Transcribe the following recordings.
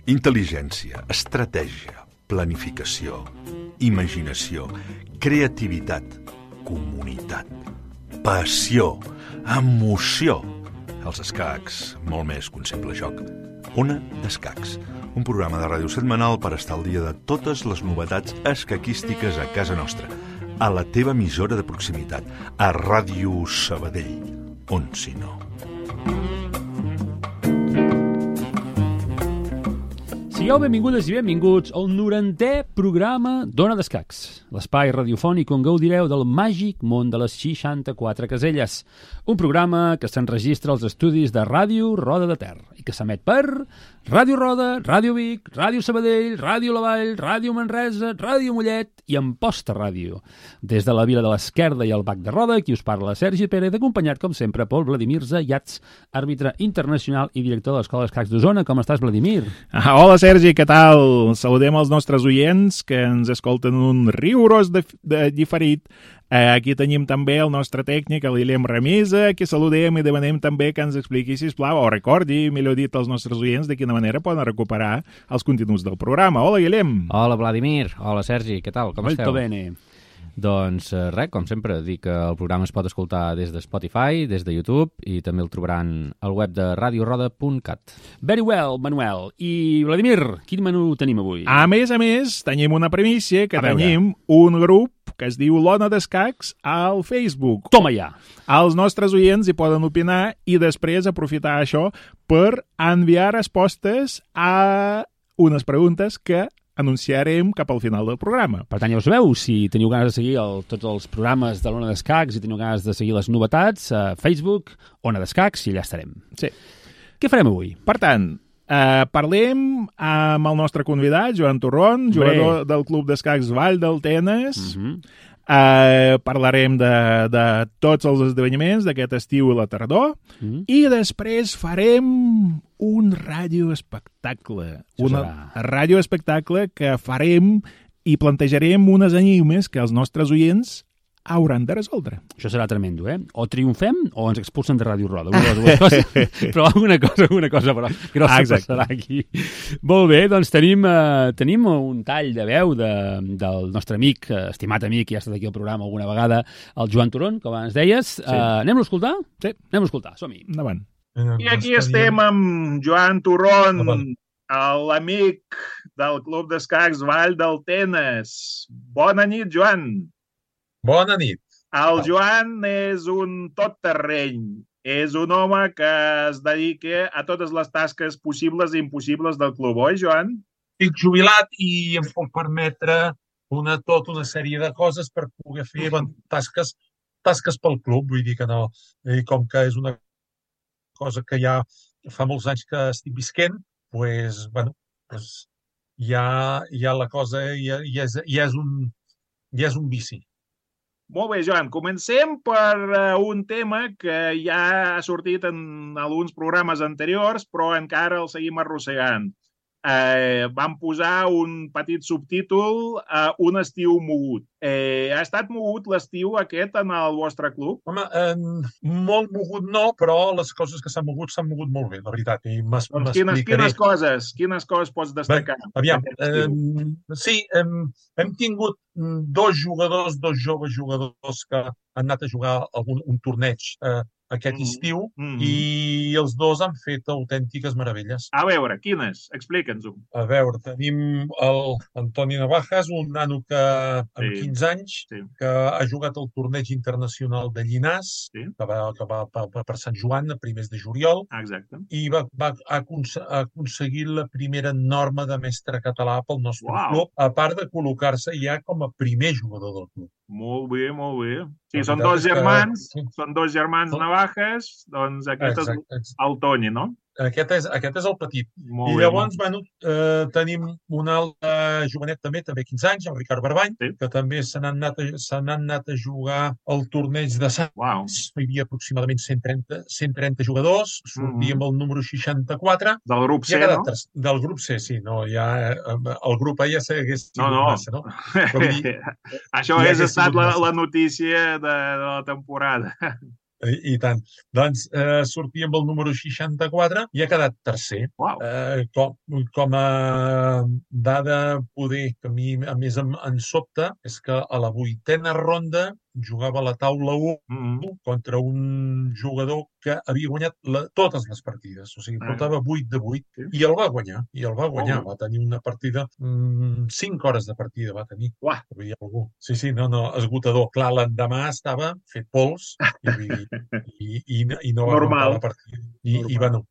Intel·ligència, estratègia, planificació, imaginació, creativitat, comunitat, passió, emoció. Els escacs, molt més que un simple joc. Ona d'Escacs, un programa de ràdio setmanal per estar al dia de totes les novetats escaquístiques a casa nostra, a la teva emissora de proximitat, a Ràdio Sabadell, on si no. Sigueu benvingudes i benvinguts al 90è programa d'Ona d'Escacs, l'espai radiofònic on gaudireu del màgic món de les 64 caselles. Un programa que s'enregistra als estudis de Ràdio Roda de Ter i que s'emet per Ràdio Roda, Ràdio Vic, Ràdio Sabadell, Ràdio La Vall, Ràdio Manresa, Ràdio Mollet i Amposta Ràdio. Des de la Vila de l'Esquerda i el Bac de Roda, qui us parla Sergi Pérez, acompanyat, com sempre, pel Vladimir Zayats, àrbitre internacional i director de l'Escola d'Escacs d'Osona. Com estàs, Vladimir? Hola, Sergi, què tal? Saludem els nostres oients que ens escolten un rigorós diferit. Aquí tenim també el nostre tècnic, l'Ilem Ramisa, que saludem i demanem també que ens expliqui, sisplau, o recordi, millor dit, als nostres oients de quina manera poden recuperar els continguts del programa. Hola, Ilem. Hola, Vladimir. Hola, Sergi. Què tal? Com esteu? Molto bene. Doncs res, com sempre, dir que el programa es pot escoltar des de Spotify, des de YouTube, i també el trobaran al web de radioroda.cat. Very well, Manuel. I, Vladimir, quin menú tenim avui? A més, tenim una primícia, que A veure. tenim un grup que es diu l'Ona d'Escacs al Facebook. Toma ja. Els nostres oients hi poden opinar i després aprofitar això per enviar respostes a unes preguntes que anunciarem cap al final del programa. Per tant, ja ho sabeu, si teniu ganes de seguir tots els programes de l'Ona d'Escacs i teniu ganes de seguir les novetats, a Facebook, Ona d'Escacs, i allà estarem. Sí. Què farem avui? Per tant, parlem amb el nostre convidat, Joan Torrón, jugador del Club d'Escacs Vall del Tenes. Parlarem de tots els esdeveniments d'aquest estiu i la tardor i després farem un radioespectacle. Un radioespectacle que farem i plantejarem unes enigmes que els nostres oients hauran de resoldre. Això serà tremendo, eh? O triomfem o ens expulsen de Ràdio Roda. Una de les dues coses. Però alguna cosa però grossa passarà aquí. Molt bé, doncs tenim un tall de veu del nostre amic, estimat amic, que ja ha estat aquí al programa alguna vegada, el Joan Turón, com abans deies. Sí. Anem-lo a escoltar? Sí. Anem-lo a escoltar, som-hi. Endavant. I aquí estem amb Joan Turrón, l'amic del Club d'Escacs Vall del Tenes. Bona nit, Joan. Bona nit. El Joan és un tot-terreny. És un home que es dedica a totes les tasques possibles i impossibles del club, oi, Joan? Estic jubilat i em puc permetre tota una sèrie de coses per poder fer tasques pel club. Vull dir que no. I com que és una cosa que ja fa molts anys que estic visquent, ja la cosa ja és un vici. Molt bé, Joan. Comencem per un tema que ja ha sortit en alguns programes anteriors, però encara el seguim arrossegant. Vam posar un petit subtítol a un estiu mogut. Ha estat mogut l'estiu aquest en el vostre club? Home, molt mogut no, però les coses que s'han mogut molt bé, la veritat. I Quines coses pots destacar? Aviam, sí, hem tingut dos joves jugadors que han anat a jugar un torneig aquest estiu i els dos han fet autèntiques meravelles. A veure, quines? Explica'ns-ho. A veure, tenim l'Antoni Navajas, un nano que amb 15 anys, que ha jugat el torneig internacional de Llinars, que va per Sant Joan a primers de juliol, i va aconseguir la primera norma de mestre català pel nostre club, a part de col·locar-se ja com a primer jugador del club. Molt bé, molt bé. Sí, són dos germans Navajas, doncs aquest és el Toni, no? Aquest és el petit. I llavors, tenim un altre jovenet també 15 anys, el Ricard Barbany, que també se n'han anat a jugar al torneig de Sants. Hi havia aproximadament 130 jugadors, sortíem el número 64. Del grup C, no? Del grup C, sí. El grup A ja s'hagués sigut massa, no? Això hagués estat la notícia de la temporada. I tant. Doncs sortia amb el número 64 i ha quedat tercer. Uau. Com a dada poder que a mi a més em sobta és que a la 8a ronda jugava a la taula 1 contra un jugador que havia guanyat totes les partides. O sigui, portava 8 de 8 i el va guanyar. Va tenir una partida, 5 hores de partida va tenir. Uah. Sí, no, esgotador. Clar, l'endemà estava fet pols i no va aguantar la partida. I bueno,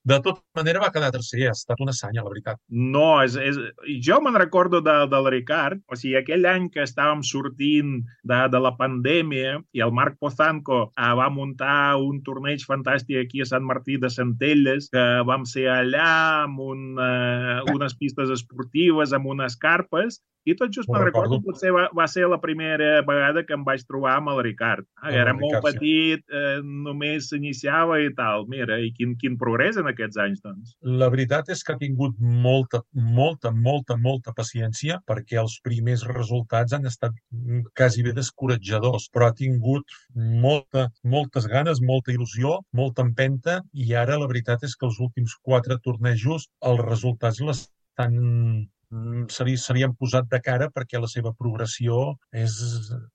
de tota manera va quedar tercer, ha estat una sanya, la veritat. No, jo me'n recordo del Ricard, o sigui, aquell any que estàvem sortint de la pandèmia i el Marc Pozanco va muntar un torneig fantàstic aquí a Sant Martí de Centelles, que vam ser allà amb unes pistes esportives, amb unes carpes, i tot just me'n recordo, potser va ser la primera vegada que em vaig trobar amb el Ricard. Era molt petit, només s'iniciava i tal. Mira, i quin progrés en aquests anys, doncs. La veritat és que ha tingut molta paciència, perquè els primers resultats han estat quasi bé descoratjadors, però ha tingut moltes ganes, molta il·lusió, molta empenta, i ara la veritat és que els últims 4 tornejos els resultats se li han posat de cara, perquè la seva progressió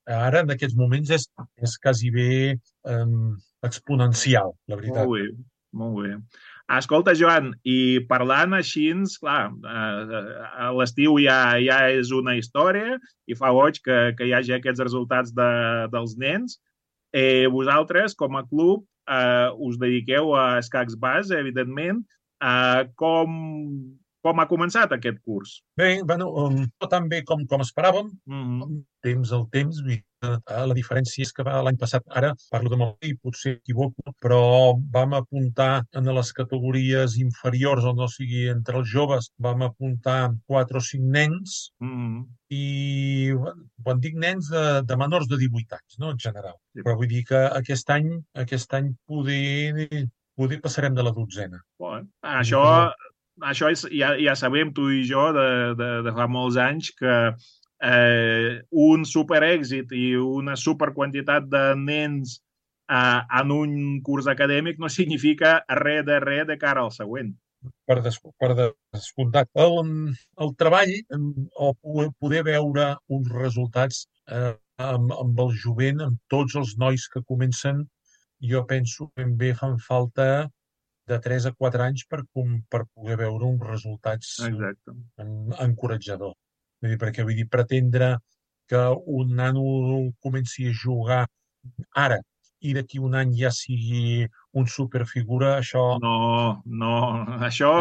ara, en aquests moments, és quasi bé exponencial, la veritat. Molt bé. Escolta, Joan, i parlant així, clar, l'estiu ja és una història i fa goig que hi hagi aquests resultats dels nens. Vosaltres, com a club, us dediqueu a escacs base, evidentment. Com ha començat aquest curs? Bé, no tan bé com esperàvem. El temps, la diferència és que l'any passat, ara parlo de memòria i potser equivoco, però vam apuntar en les categories inferiors, o no sigui, entre els joves, vam apuntar 4 o 5 nens, i quan dic nens, de menors de 18 anys, no, en general. Però vull dir que aquest any poder passarem de la 12a. Això ja sabem, tu i jo, de fa molts anys, que un superèxit i una superquantitat de nens en un curs acadèmic no significa res de cara al següent. Per descomptat. El treball, o poder veure uns resultats amb el jovent, amb tots els nois que comencen, jo penso que ben bé fan falta de 3 a 4 anys per poder veure uns resultats encoratjadors. Perquè vull dir, pretendre que un nano comenci a jugar ara i d'aquí un any ja sigui un superfigura, això... No. Això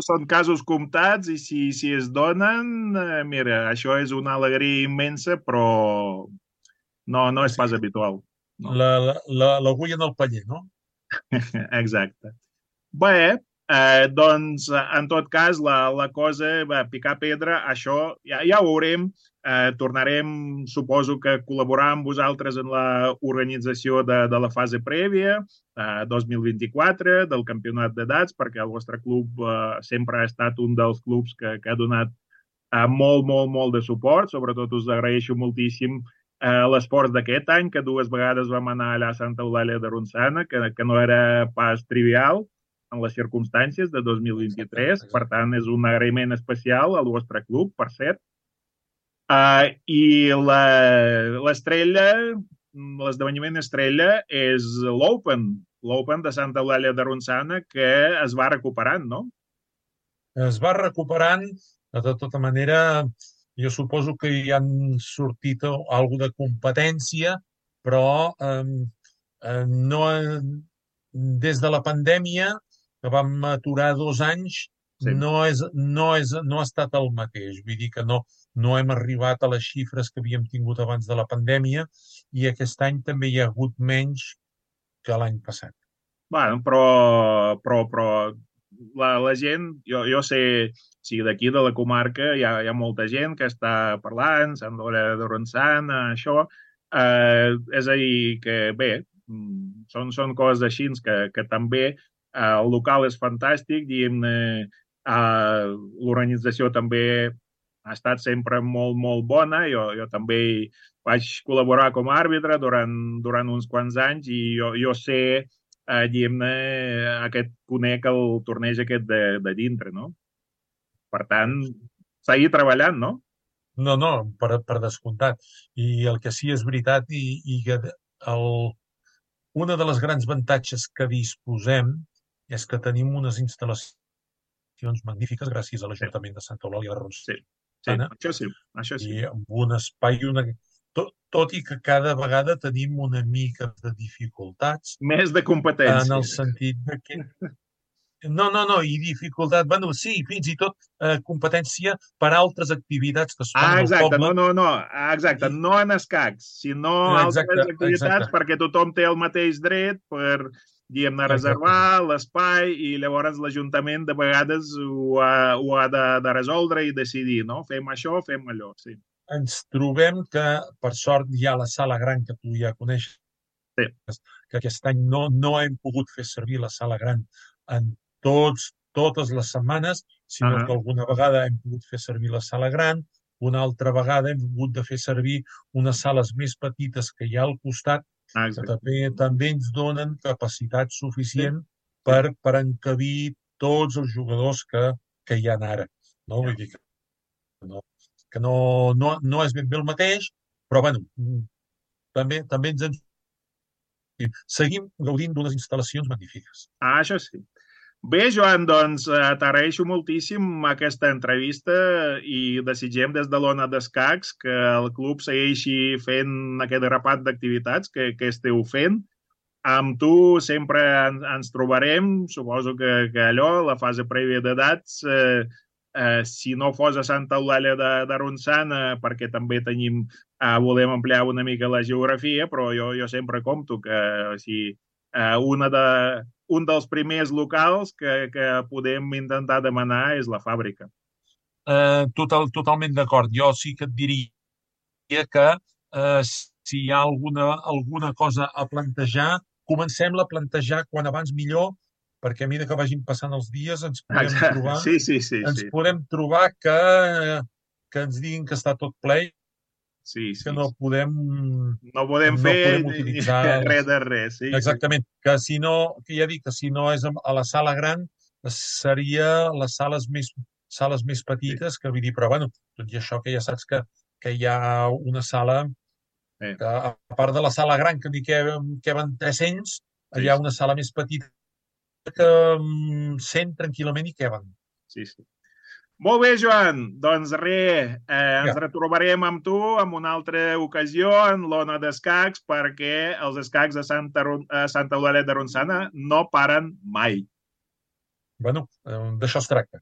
són casos comptats i si es donen, mira, això és una alegria immensa, però no és pas habitual. L'agulla en el paller, no? Exacte. Bé, doncs, en tot cas, la cosa va picar pedra, això ja ho veurem. Tornarem, suposo que col·laborar amb vosaltres en l'organització de la fase prèvia, 2024, del campionat d'edats, perquè el vostre club sempre ha estat un dels clubs que ha donat molt de suport. Sobretot us agraeixo moltíssim l'esforç d'aquest any, que 2 vegades vam anar allà a Santa Eulàlia de Ronçana, que no era pas trivial en les circumstàncies de 2023. Per tant, és un agraïment especial al vostre club, per cert. I l'estrella, l'esdeveniment estrella és l'Open de Santa Eulàlia de Ronçana, que es va recuperant, no? Es va recuperant, de tota manera, jo suposo que hi han sortit alguna de competència, però no, des de la pandèmia, que vam aturar 2 anys, no ha estat el mateix. Vull dir que no hem arribat a les xifres que havíem tingut abans de la pandèmia, i aquest any també hi ha hagut menys que l'any passat. Bueno, però la gent, jo sé, si d'aquí de la comarca hi ha molta gent que està parlant, Sant Eulàlia de Ronçana, això, és a dir, que bé, són coses així que també el local és fantàstic, diguem-ne, l'organització també ha estat sempre molt, molt bona. Jo també vaig col·laborar com a àrbitre durant uns quants anys i jo sé, diguem-ne, conec el torneig aquest de dintre, no? Per tant, seguir treballant, no? No, per descomptat. I el que sí és veritat i que una de les grans avantatges que disposem és que tenim unes instal·lacions magnífiques gràcies a l'Ajuntament de Santa Eulàlia de Ronçana. Sí, això sí. I amb un espai, tot i que cada vegada tenim una mica de dificultats. Més de competència. En el sentit de que... No, i dificultat, bueno, sí, fins i tot competència per altres activitats que es fan al poble. Exacte, no en escacs, sinó altres activitats perquè tothom té el mateix dret per, diguem-ne, reservar l'espai i llavors l'Ajuntament de vegades ho ha de resoldre i decidir, no? Fem això, fem allò, sí. Ens trobem que, per sort, hi ha la sala gran que tu ja coneixes, que aquest any no hem pogut fer servir la sala gran en totes les setmanes, sinó que alguna vegada hem pogut fer servir la sala gran, una altra vegada hem hagut de fer servir unes sales més petites que hi ha al costat, que també ens donen capacitat suficient per encabir tots els jugadors que hi ha ara. No? Vull dir que no és ben bé el mateix, però bueno, també ens seguim gaudint d'unes instal·lacions magnífiques. Això sí. Bé, Joan, doncs t'agraeixo moltíssim aquesta entrevista i desitgem des de l'Ona d'Escacs que el club segueixi fent aquest grapat d'activitats que esteu fent. Amb tu sempre ens trobarem, suposo que allò, la fase prèvia d'edats, si no fos a Santa Eulàlia de Ronçana, perquè també volem ampliar una mica la geografia, però jo sempre compto que un dels primers locals que podem intentar demanar és la fàbrica. Totalment d'acord. Jo sí que et diria que si hi ha alguna cosa a plantejar, comencem-la a plantejar quan abans millor, perquè a mesura que vagin passant els dies ens podem trobar que ens diguin que està tot ple que no podem fer utilitzar res de res. Exactament. Que si no, que ja dic que si no és a la sala gran, seria les sales més petites, que vull dir, però bueno, tot i això que ja saps que hi ha una sala que, a part de la sala gran que n'hi queben 300, hi ha una sala més petita que 100 tranquil·lament hi queben. Sí. Molt bé, Joan. Doncs res, ens retrobarem amb tu en una altra ocasió en l'Ona d'Escacs perquè els escacs de Santa Eulàlia de Ronçana no paren mai. Bueno, d'això es tracta.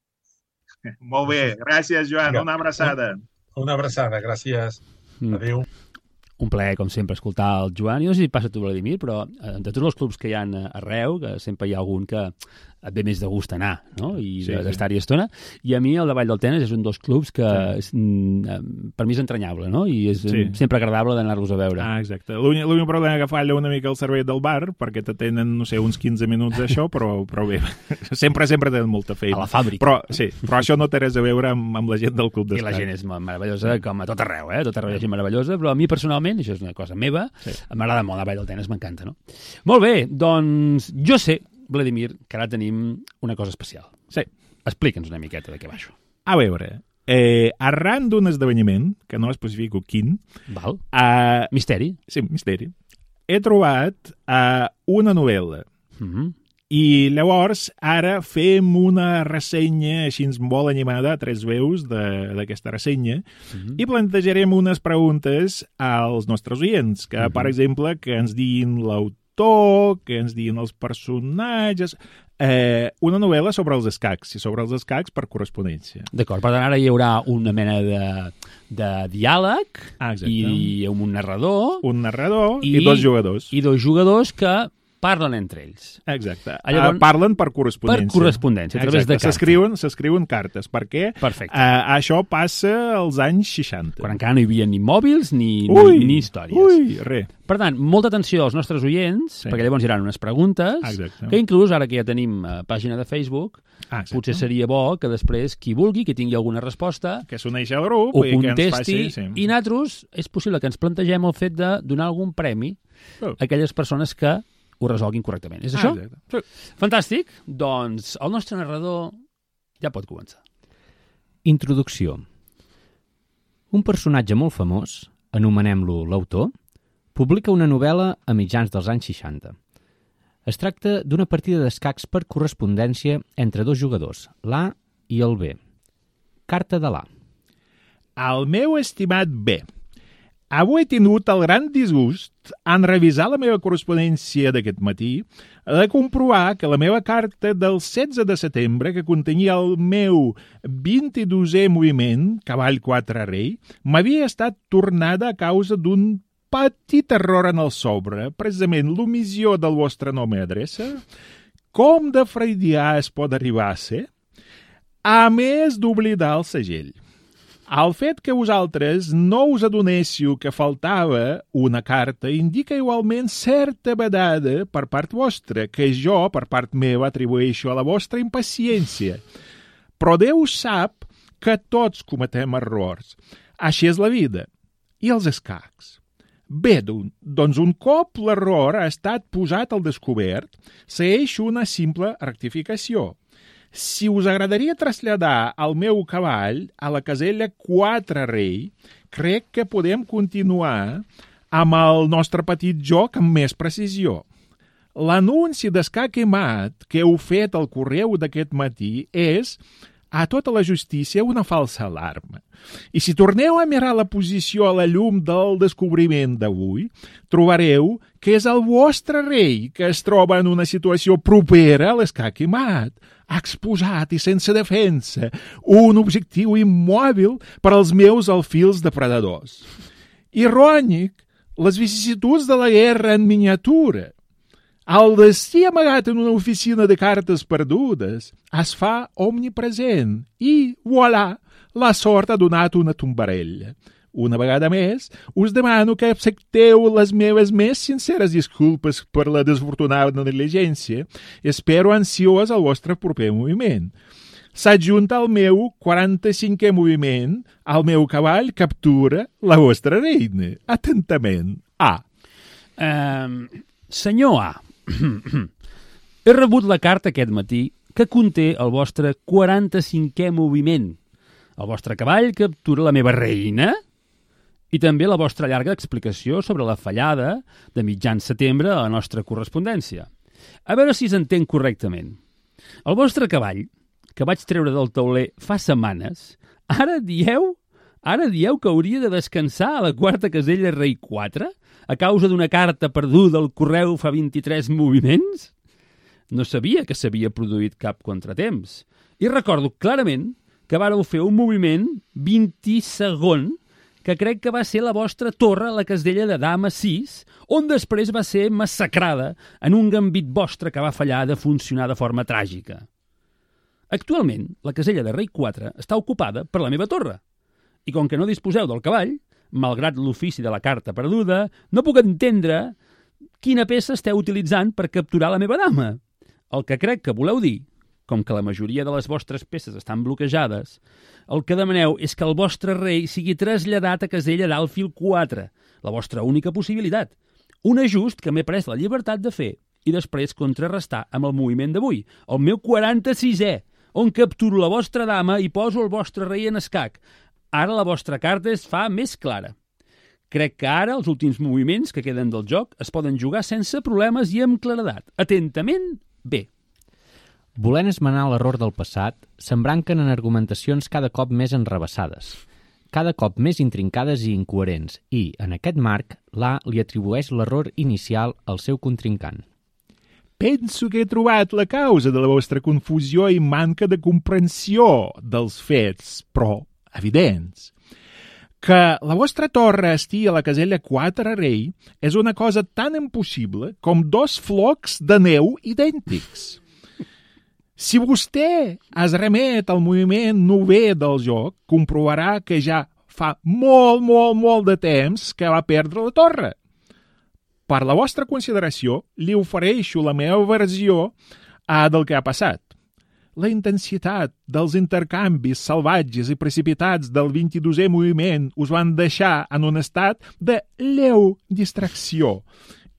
Molt bé. Gràcies, Joan. Una abraçada. Una abraçada. Gràcies. Adéu. Un plaer, com sempre, escoltar el Joan. Jo no sé si passa a tu, Vladimir, però de tots els clubs que hi ha arreu, que sempre hi ha algun que et ve més de gust anar, no? I d'estar-hi estona. I a mi el de Vall del Tenes és un dels clubs que per mi és entranyable, no? I és sempre agradable d'anar-los a veure. Exacte. L'únic problema que falla una mica el servei del bar, perquè te tenen, no sé, uns 15 minuts d'això, però bé, sempre tenen molta feina. A la fàbrica. Però això no té res a veure amb la gent del club d'escacs. I la gent és meravellosa, com a tot arreu, Tot arreu hi ha gent meravellosa, però a mi personalment, això és una cosa meva, m'agrada molt la Vall del Tenes, m'encanta, no? Molt bé, doncs jo sé, Vladimir, que ara tenim una cosa especial. Sí. Explica'ns una miqueta de què va això. A veure, arran d'un esdeveniment, que no especifico quin... Val. Misteri. Sí, misteri. He trobat una novel·la. I llavors ara fem una ressenya així molt animada, a 3 veus d'aquesta ressenya, i plantejarem unes preguntes als nostres oients, que, per exemple, que ens diguin l'autor, que ens diguin els personatges... una novel·la sobre els escacs, i sobre els escacs per correspondència. D'acord, per tant, ara hi haurà una mena de diàleg i un narrador. Un narrador i 2 jugadors. I 2 jugadors que parlen entre ells. Exacte. Llavors, parlen per correspondència. Per correspondència, a través de cartes. S'escriuen cartes, perquè això passa als anys 60. Quan encara no hi havia ni mòbils ni històries. Ui, res. Per tant, molta atenció als nostres oients, perquè llavors hi haurà unes preguntes, que inclús, ara que ja tenim pàgina de Facebook, potser seria bo que després qui vulgui, que tingui alguna resposta, que s'uneixi al grup, ho contesti, i nosaltres és possible que ens plantegem el fet de donar algun premi a aquelles persones que ho resolguin correctament. És això? Sí. Fantàstic. Doncs el nostre narrador ja pot començar. Introducció. Un personatge molt famós, anomenem-lo l'autor, publica una novel·la a mitjans dels anys 60. Es tracta d'una partida d'escacs per correspondència entre dos jugadors, l'A i el B. Carta de l'A. El meu estimat B, avui he tingut el gran disgust, en revisar la meva correspondència d'aquest matí, de comprovar que la meva carta del 16 de setembre, que contenia el meu 22è moviment, cavall 4 rei, m'havia estat tornada a causa d'un petit error en el sobre, precisament l'omissió del vostre nom i adreça. Com de freudià es pot arribar a ser? A més d'oblidar el segell. El fet que vosaltres no us adonéssiu que faltava una carta indica igualment certa vedada per part vostra, que jo, per part meva, atribueixo a la vostra impaciència. Però Déu sap que tots cometem errors. Així és la vida. I els escacs? Bé, doncs un cop l'error ha estat posat al descobert, segueix una simple rectificació. Si us agradaria traslladar el meu cavall a la casella 4 rei, crec que podem continuar amb el nostre petit joc amb més precisió. L'anunci d'escac i mat que heu fet al correu d'aquest matí és, a tota la justícia, una falsa alarma. I si torneu a mirar la posició a la llum del descobriment d'avui, trobareu que és el vostre rei que es troba en una situació propera a l'escac i mat, exposat i sense defensa, un objectiu immòbil per als meus alfils depredadors. Irònic, les vicissituds de la guerra en miniatura. El destí amagat en una oficina de cartes perdudes es fa omnipresent i, voilà, la sort ha donat una tombarella. Una vegada més, us demano que accepteu les meves més sinceres disculpes per la desfortunada negligència. Espero ansiós el vostre proper moviment. S'adjunta al meu 45è moviment, el meu cavall captura la vostra reina. Atentament, A. Senyor A, he rebut la carta aquest matí que conté el vostre 45è moviment. El vostre cavall captura la meva reina i també la vostra llarga explicació sobre la fallada de mitjan setembre a la nostra correspondència. A veure si s'entén correctament. El vostre cavall, que vaig treure del tauler fa setmanes, ara dieu que hauria de descansar a la 4ª casella rei 4 a causa d'una carta perduda al correu fa 23 moviments? No sabia que s'havia produït cap contratemps. I recordo clarament que vàreu fer un moviment 20º que crec que va ser la vostra torre a la casella de dama 6, on després va ser massacrada en un gambit vostre que va fallar de funcionar de forma tràgica. Actualment, la casella de rei 4 està ocupada per la meva torre. I com que no disposeu del cavall, malgrat l'ofici de la carta perduda, no puc entendre quina peça esteu utilitzant per capturar la meva dama. El que crec que voleu dir, com que la majoria de les vostres peces estan bloquejades, el que demaneu és que el vostre rei sigui traslladat a casella d'alfil 4, la vostra única possibilitat. Un ajust que m'he pres la llibertat de fer i després contrarrestar amb el moviment d'avui, el meu 46è, on capturo la vostra dama i poso el vostre rei en escac. Ara la vostra carta es fa més clara. Crec que ara els últims moviments que queden del joc es poden jugar sense problemes i amb claredat. Atentament, B. Volent esmenar l'error del passat, s'embranquen en argumentacions cada cop més enrevessades, cada cop més intrincades i incoherents, i, en aquest marc, l'A li atribueix l'error inicial al seu contrincant. Penso que he trobat la causa de la vostra confusió i manca de comprensió dels fets, però evidents. Que la vostra torre estigui a la casella 4 rei és una cosa tan impossible com 2 flocs de neu idèntics. Si vostè es remet al moviment novè del joc, comprovarà que ja fa molt de temps que va perdre la torre. Per la vostra consideració, li ofereixo la meva versió del que ha passat. La intensitat dels intercanvis salvatges i precipitats del 22è moviment us van deixar en un estat de lleu distracció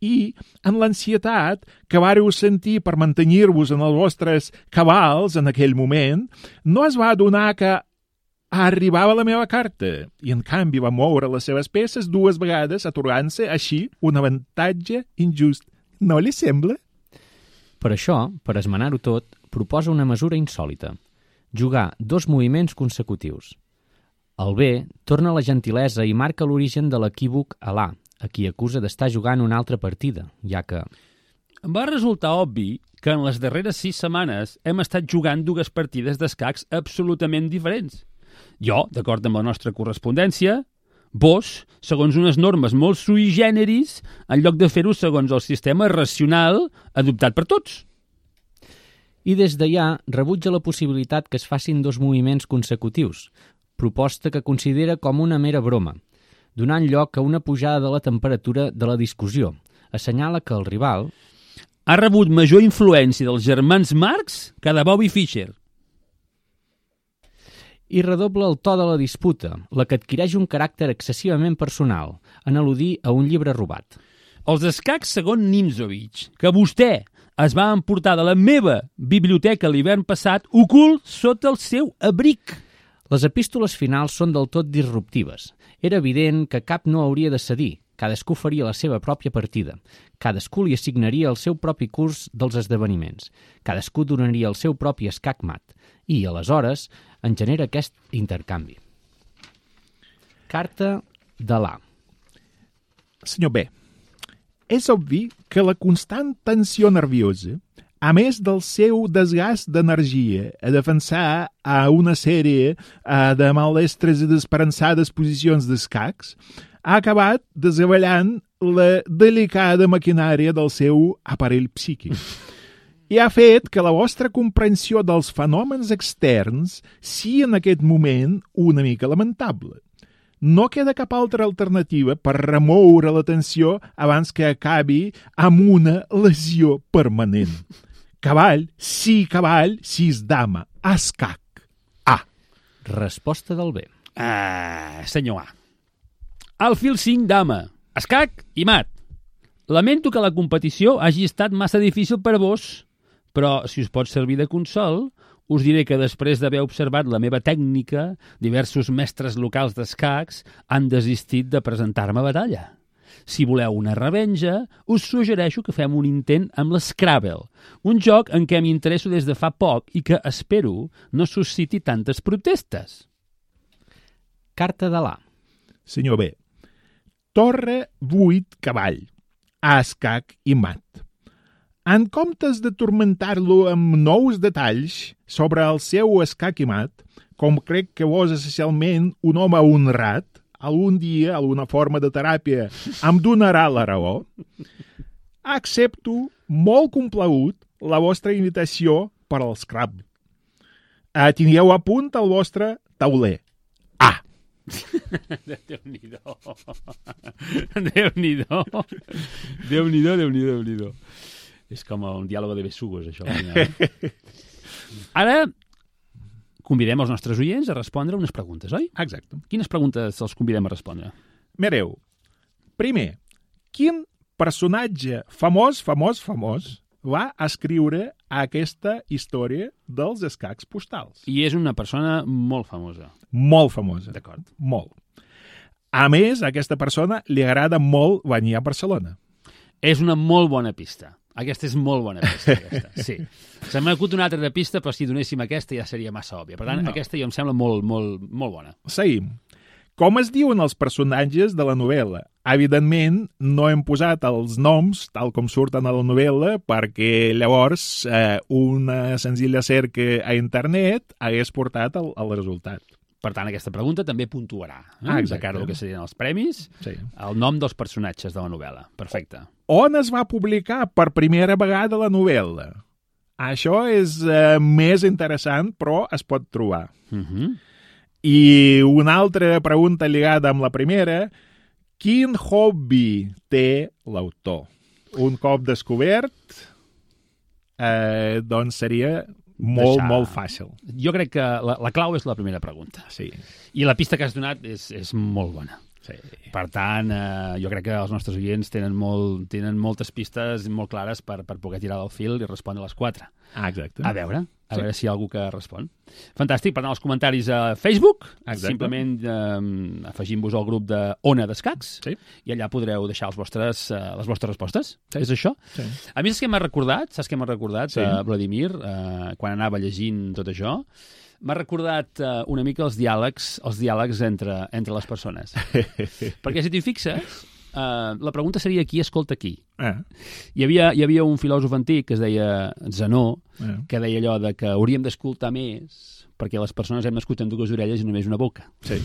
i en l'ansietat que vàreu sentir per mantenir-vos en els vostres cabals en aquell moment, no es va adonar que arribava la meva carta i en canvi va moure les seves peces 2 vegades atorgant-se així un avantatge injust. No li sembla? Per això, per esmenar-ho tot, proposa una mesura insòlita. Jugar 2 moviments consecutius. El B torna la gentilesa i marca l'origen de l'equívoc a l'A, a qui acusa d'estar jugant una altra partida, ja que... Va resultar obvi que en les darreres 6 setmanes hem estat jugant 2 partides d'escacs absolutament diferents. Jo, d'acord amb la nostra correspondència, vos, segons unes normes molt sui generis, en lloc de fer-ho segons el sistema racional adoptat per tots. I des d'allà rebutja la possibilitat que es facin 2 moviments consecutius, proposta que considera com una mera broma, donant lloc a una pujada de la temperatura de la discussió. Assenyala que el rival ha rebut major influència dels germans Marx que de Bobby Fischer. I redobla el to de la disputa, la que adquireix un caràcter excessivament personal, en al·ludir a un llibre robat. Els escacs segons Nimzovich, que vostè es va emportar de la meva biblioteca l'hivern passat, ocult sota el seu abric. Les epístoles finals són del tot disruptives. Era evident que cap no hauria de cedir. Cadascú faria la seva pròpia partida. Cadascú li assignaria el seu propi curs dels esdeveniments. Cadascú donaria el seu propi escac mat. I, aleshores, en genera aquest intercanvi. Carta de l'A. Senyor B, és obvi que la constant tensió nerviosa, a més del seu desgast d'energia a defensar a una sèrie de maldestres i desesperançades posicions d'escacs, ha acabat desavellant la delicada maquinària del seu aparell psíquic. I ha fet que la vostra comprensió dels fenòmens externs sigui en aquest moment una mica lamentable. No queda cap altra alternativa per remoure la tensió abans que acabi amb una lesió permanent. Cavall, sis dama, escac, A. Resposta del B. Senyor A. Alfil 5 dama, escac i mat. Lamento que la competició hagi estat massa difícil per vos, però si us pot servir de consol, us diré que després d'haver observat la meva tècnica, diversos mestres locals d'escacs han desistit de presentar-me a batalla. Si voleu una revenja, us suggereixo que fem un intent amb l'Scrabble, un joc en què m'interesso des de fa poc i que espero no susciti tantes protestes. Carta de l'A. Senyor B, torre 8 cavall, escac i mat. En comptes de tormentar-lo amb nous detalls sobre el seu escac i mat, com crec que vos essencialment un home honrat, algun dia, alguna forma de teràpia em donarà la raó, accepto molt complagut la vostra invitació per al Scrabble. Tingueu a punt el vostre tauler. A. Déu-n'hi-do. Déu-n'hi-do. Déu-n'hi-do. És com un diàleg de besugos, això. Ara convidem els nostres oients a respondre unes preguntes, oi? Exacte. Quines preguntes els convidem a respondre? Mireu, primer, quin personatge famós va escriure aquesta història dels escacs postals? I és una persona molt famosa. Molt famosa. D'acord. Molt. A més, a aquesta persona li agrada molt venir a Barcelona. És una molt bona pista. Aquesta és molt bona pista, aquesta. Sí. Se m'ha acut una altra pista, però si donéssim aquesta ja seria massa òbvia. Per tant, aquesta ja em sembla molt bona. Seguim. Com es diuen els personatges de la novel·la? Evidentment, no hem posat els noms tal com surten a la novel·la perquè llavors una senzilla cerca a internet hagués portat el resultat. Per tant, aquesta pregunta també puntuarà, de cara al que serien els premis, el nom dels personatges de la novel·la. Perfecte. On es va publicar per primera vegada la novel·la? Això és més interessant, però es pot trobar. I una altra pregunta lligada amb la primera, quin hobby té l'autor? Un cop descobert, doncs seria molt fàcil. Jo crec que la clau és la primera pregunta. Sí. I la pista que has donat és molt bona. Sí. Per tant, jo crec que els nostres oients tenen moltes pistes molt clares per poder tirar del fil i respondre a les 4. Exacte. A veure si hi ha algú que respon. Fantàstic, per tant, els comentaris a Facebook, simplement afegim-vos al grup de Ona d'Escacs i allà podreu deixar les vostres respostes. És això? Sí. A mi saps què m'ha recordat, Vladimir, quan anava llegint tot això? M'ha recordat una mica els diàlegs entre les persones. Perquè si t'hi fixes, la pregunta seria qui escolta qui. Hi havia un filòsof antic que es deia Zenó, que deia allò de que hauríem d'escoltar més perquè les persones hem nascut amb 2 orelles i només una boca. Sí.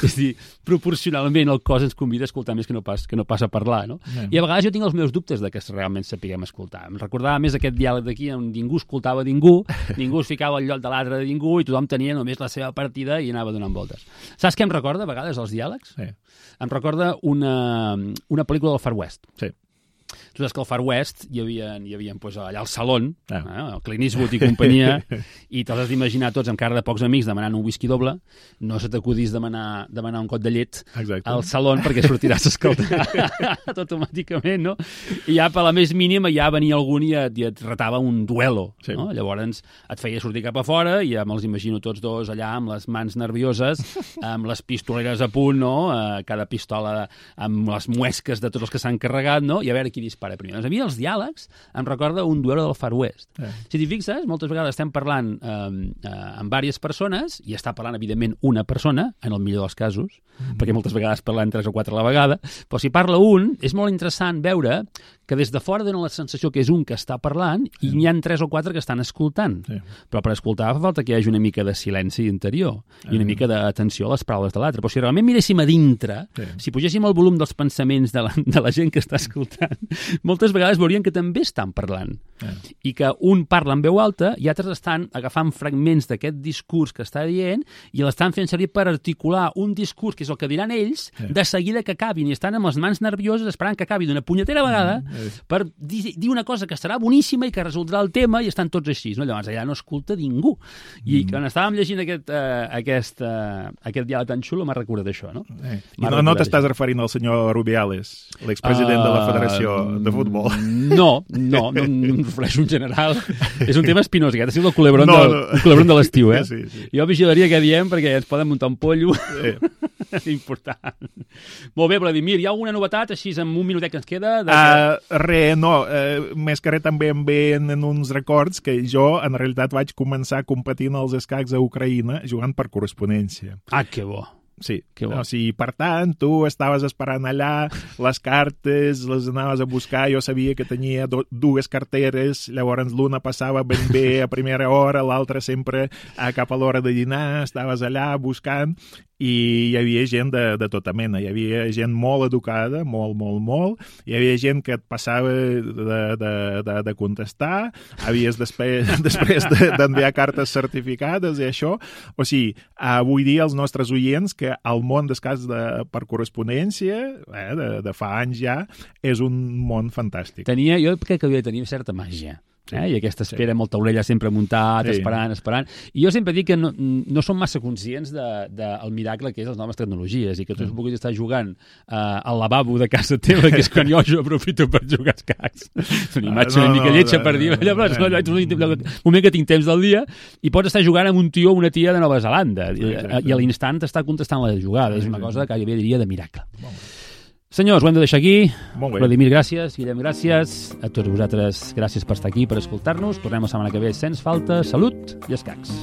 És a dir, proporcionalment el cos ens convida a escoltar més que no pas a parlar, no? I a vegades jo tinc els meus dubtes de que realment sapiguem escoltar. Em recordava més aquest diàleg d'aquí on ningú escoltava ningú es ficava al lloc de l'altre de ningú i tothom tenia només la seva partida i anava donant voltes. Saps què em recorda a vegades els diàlegs? Sí. Em recorda una pel·lícula del Far West. Sí. Tu saps que al Far West hi havia pues, allà al Salon, el Clint Eastwood i companyia, i te'ls has d'imaginar tots amb cara de pocs amics demanant un whisky doble, no se t'acudís demanar un got de llet al Salon perquè sortiràs a escoltar automàticament, no? I ja per la més mínima ja venia algun i et retava un duelo, no? Llavors et feia sortir cap a fora i ja me'ls imagino tots dos allà amb les mans nervioses, amb les pistoleres a punt, no? Cada pistola amb les muesques de tots els que s'han carregat, no? I a veure qui dispara primer. Doncs a mi els diàlegs em recorda un duelo del Far West. Si t'hi fixes, moltes vegades estem parlant amb diverses persones i està parlant, evidentment, una persona, en el millor dels casos, perquè moltes vegades parlen 3 o 4 a la vegada, però si parla un, és molt interessant veure que des de fora dona la sensació que és un que està parlant i n'hi ha 3 o 4 que estan escoltant. Però per escoltar fa falta que hi hagi una mica de silenci interior i una mica d'atenció a les paraules de l'altre. Però si realment miréssim a dintre, si pugéssim el volum dels pensaments de la gent que està escoltant, moltes vegades veurien que també estan parlant. I que un parla en veu alta i altres estan agafant fragments d'aquest discurs que està dient i l'estan fent servir per articular un discurs que és el que diran ells de seguida que acabin i estan amb les mans nervioses esperant que acabi d'una punyetera vegada per dir una cosa que serà boníssima i que resoldrà el tema i estan tots així, no? Llavors allà no escolta ningú. I quan estàvem llegint aquest diàleg tan xulo m'ha recordat això, no? I no t'estàs referint al senyor Rubiales, l'expresident de la Federació de Futbol? No, em refereixo en general. És un tema espinós, aquest ha sigut el culebron de l'estiu, eh? Sí. Jo vigilaria què diem perquè ens poden muntar un pollo. Important. Molt bé, Vladimir, hi ha alguna novetat així en un minutet que ens queda? Més que res també em venen uns records que jo en realitat vaig començar competint als escacs a Ucraïna jugant per correspondència. Ah, que bo. Sí, o sigui, per tant, tu estaves esperant allà, les cartes les anaves a buscar, jo sabia que tenia 2 carteres, llavors l'una passava ben bé a primera hora, l'altra sempre cap a l'hora de dinar, estaves allà buscant, i hi havia gent de tota mena, hi havia gent molt educada, molt, hi havia gent que et passava de contestar, havies després d'enviar cartes certificades i això, o sigui, vull dir als nostres oients que el món d'escacs per correspondència, de fa anys ja, és un món fantàstic. Jo crec que havia de tenir certa màgia. I aquesta espera amb el taulell sempre muntat, esperant. I jo sempre dic que no som massa conscients del miracle que és les noves tecnologies i que tu puguis estar jugant al lavabo de casa teva, que és quan jo aprofito per jugar als escacs. És una imatge una mica lletja per dir, un moment que tinc temps del dia i pots estar jugant amb un tio o una tia de Nova Zelanda i a l'instant t'està contestant la jugada. És una cosa que jo diria de miracle. Senyors, ho hem de deixar aquí. Vladimir, gràcies. Guillem, gràcies. A tots vosaltres, gràcies per estar aquí, per escoltar-nos. Tornem la setmana que ve, sens falta. Salut i escacs.